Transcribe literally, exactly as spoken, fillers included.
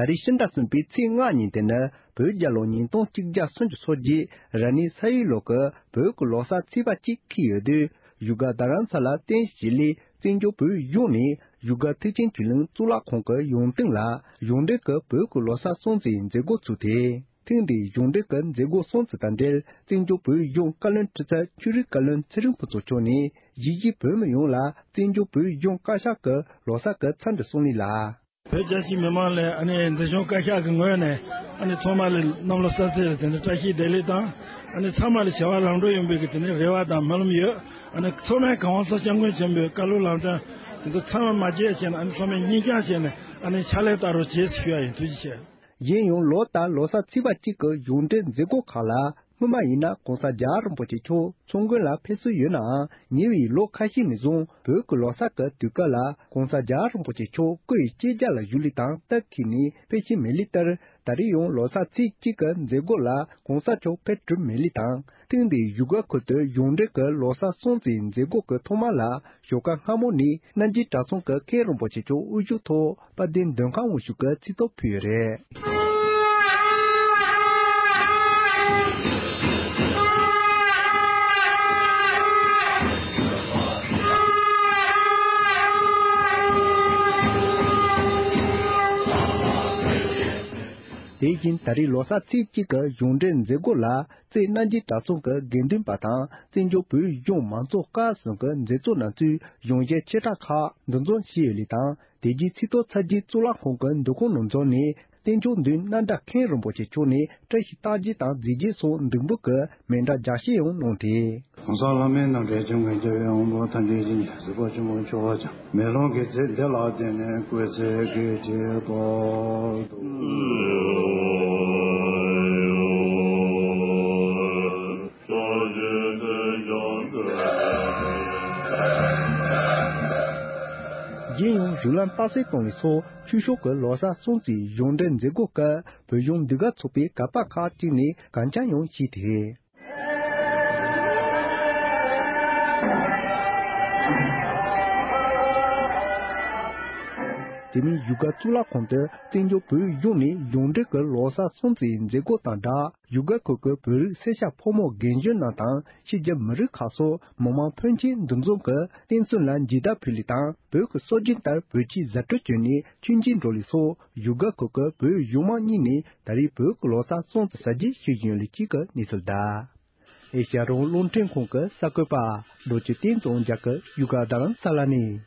ད་རེས་ཕྱི་ཟླ་གསུམ་པའི་ཚེས་ལྔ་ཉིན་དེ་ནི་བོད་རྒྱལ་ལོ་ཉིས་སྟོང་གཅིག་བརྒྱ་སུམ་ཅུ་སོ་བརྒྱད་ར་ནི་ས་ཡུལ་ལོ་གི་བོད་ཀྱི་ལོ་གསར་ཚེས་པ་གཅིག་འཁེལ་ཡོད་དུས། བཞུགས་སྒར་རྡ་རམ་ས་ལ་རྟེན་གཞི་ལས་བཙན་བྱོལ་བོད་གཞུང་ནས་བཞུགས་སྒར་མཐིལ་ཕྱིན་ཆོས་གླིང་གཙུག་ལག་ཁང་གི་ཡོངས་སྟེང་ལ་གཞུང་འབྲེལ་གྱི་བོད་ཀྱི་ལོ་གསར་སྲུང་བརྩིའི་མཛད་སྒོ་ཚུགས་ཏེ། ཐེངས་འདིའི་གཞུང་འབྲེལ་གྱི་མཛད་སྒོ་སྲུང་བརྩི་དང་འབྲེལ། བཙན་བྱོལ་བོད་གཞུང་བཀའ་བློན་ཁྲི་ཚབ་ཆོས་རིག་བཀའ་བློན་ཚེ་རིང་ཕུན་ཚོགས་མཆོག་ནས་གཞིས་བྱེས་བོད་མི་ཡོངས་ལ་བཙན་བྱོལ་བོད་གཞུང་བཀའ་ཤག་གི་ལོ་གསར་གྱི་འཚམས་འདྲི་གསུང་ལེ་ལ། བོད་རྒྱལ་སྤྱིའི་མི་མང་ལ་ཨ་ནི་འཛིན་སྐྱོང་བཀའ་ཤག་གི་ངོས་ནས་ཨ་ནི་ཚང་མ་ལ་གནམ་ལོ་གསར་ཚེས་ལ་དེ་འདྲ་བཀྲ་ཤིས་བདེ་ལེགས་དང་། ཨ་ནི་ཚང་མ་ལ་བྱ་བ་ལམ་འགྲོ་ཡོང་བའི་གི་དེ་འདྲ་རེ་བ་དང་སྨོན་ལམ་ཡོད། ཨ་ནི་ཚང་མས་གང་བ་སོགས་སྐྱབས་མགོན་ཆེན་པོའི་བཀའ་སློབ་ལམ་སྟོན་དེ་ཚོ་ཚང་མ་མ་བརྗེད་བྱས་ནས། ཨ་ནི་ཚང་མས་སྙིང་བཅངས་བྱས་ནས་ཨ་ནི་ཕྱག་ལས་བསྟར་རོགས་བྱེད་ཞུ་ཡ་ཡིན། ཐུགས་རྗེ་ཆེ། གཞན་ཡང་ལོ་ལྟར་ལོ་གསར་ཚེས་པ་གཅིག་གི་གཞུང་འབྲེལ་མཛད་སྒོ་ཁག་ལ། སྔོན་མ་ཡིན་ན་༸གོང་ས་༸རྒྱལ་བ་རིན་པོ་ཆེ་མཆོག་མཚོ་དགོན་ལ་ཕེབས་སྲོལ་ཡོད་ནའང་། ཉེ་བའི་ལོ་ཁ་ཤས་ནས་བཟུང་བོད་ཀྱི་ལོ་གསར་གྱི་དུས་སྐབས་ལ་༸གོང་ས་༸རྒྱལ་བ་རིན་པོ་ཆེ་མཆོག་སྐུ་ཡི་གཅེས་རྒྱ་ལ་བཞུགས་ལུགས་དང་སྟབས་འཁེལ་ནས་ཕེབས་ཀྱིན་མེད་ལུགས་ལྟར། ད་རེས་ཡང་ལོ་གསར་ཚེས་གཅིག་གི་མཛད་སྒོ་ལ་༸གོང་ས་མཆོག་ཕེབས་གྲུབ་མེད་ལུགས་དང་། ཐེངས་འདིའི་བཞུགས་སྒར་ཁུལ་དུ་གཞུང་འབྲེལ་གྱི་ལོ་གསར་སྲུང་བརྩིའི་མཛད་སྒོ་གི་ཐོག་མ་ལ། ཞོགས་ཀ་སྔ་མོ་ནས་རྣམ་རྒྱལ་གྲྭ་ཚང་གི་མཁན་རིན་པོ་ཆེ་མཆོག་དབུ་བཞུགས་ཐོག་དཔལ་ལྡན་མདུན་ཁང་དབུ་བཞུགས་ཀྱི་ཚིག་ཐོ་ཕུལ་ཡོད་རེད། དེ་བཞིན་ད་རེས་ལོ་གསར་ཚེས་གཅིག་གི་གཞུང་འབྲེལ་མཛད་སྒོ་ལ། རྩེ་རྣམ་རྒྱལ་གྲྭ་ཚང་གི་དགེ་འདུན་པ་དང་བཙན་བྱོལ་བོད་གཞུང་མང་ཚོགས་སྐབས་གསུམ་གྱི་མཛད་གཙོ་རྣམ་ཚོས་གཞུང་ཞབས་ཆེ་ཕྲ་ཁག་འདུ་འཛོམས་བྱས་ཡོད་ལུགས་དང་། དེ་རྗེས་ཆེས་མཐོའི་ཚད་གཞི་གཙུག་ལག་ཁང་གི་འདུ་ཁང་ནང་འཛོམས་ནས། བསྟན་སྐྱོང་མདུན་རྣམ་གྲྭ་མཁན་རིན་པོ་ཆེ་མཆོག་ནས་བཀྲ་ཤིས་རྟགས་བརྒྱད་དང་མཛེས་རྒྱན་སོགས་འདེགས་འབུལ་གྱི་མཎྜལ་ལྗགས་བཤད་ཡང་གནང་སྟེ། གོང་ས་ལྷ་མིའི་རྣམ་འདྲེན་ཆེན་པོ་རྒྱལ་བའི་དབང་པོ་ཐམས་ཅད་ཀྱི་གཟིགས་པ་ཆེན་པོ་མཆོག་ཀྱང་། མེ་ལོང་གི་ཚིག་འདི་ལ་བརྟེན་ནས་སྐུ་ཚེ་གེགས་བྱེད་པ་དང་། རྗེས་ཡང་རིགས་ལམ་རྟགས་གསལ་གཏོང་བའི་ཚོགས་ཆོས་ཕྱོགས་ཀྱི་ལོ་གསར་སྲུང་བརྩིའི་གཞུང་འབྲེལ་མཛད་སྒོ་སྐབས་བོད་གཞུང་ཟློས་གར་ཚོགས་པའི་གར་པ་ཁག་ཅིག་ནས་གར་འཆམ་ཡང་བྱས་ཏེ། དེ་མིན་བཞུགས་སྒར་གཙུག་ལག་ཁང་དུ་བཙན་བྱོལ་བོད་གཞུང་ནས་གཞུང་འབྲེལ་གྱི་ལོ་གསར་སྲུང་བརྩིའི་མཛད་སྒོ་དང་སྦྲགས། བཞུགས་སྒར་ཁུལ་གྱི་བོད་རིགས་སེར་སྐྱ་ཕོ་མོ་རྒན་གཞོན་རྣམས་དང་། ཕྱི་རྒྱལ་མི་རིགས་ཁག་སོགས་མི་མང་ཕོན་ཆེ་འདུ་འཛོམས་ཀྱིས་རྟེན་གསུམ་ལ་འཇིགས་སྐྲག་ཕུལ་ལུགས་དང་། བོད་ཀྱི་སྲོལ་རྒྱུན་ལྟར་བོད་ཆས་བཟའ་སྤྲོད་བྱས་ནས་མཆོད་མཇལ་འགྲོ་ལུགས་སོགས། བཞུགས་སྒར་ཁུལ་གྱི་བོད་གཞུང་མང་གཉིས་ནས་ད་རེས་བོད་ཀྱི་ལོ་གསར་སྲུང་བརྩི་གཟབ་རྒྱས་ཞུ་བཞིན་ཡོད་ལུགས་གཅིག་གི་གནས་ཚུལ་གདའ། ཨེ་ཤ་ཡ་རང་དབང་རླུང་འཕྲིན་ཁང་གི་གསར་འགོད་པ་རྡོ་རྗེ་བསྟན་འཛིན་རྒྱལ་གྱིས་བཞུགས་སྒར་རྡ་རམ་ས་ལ་ནས།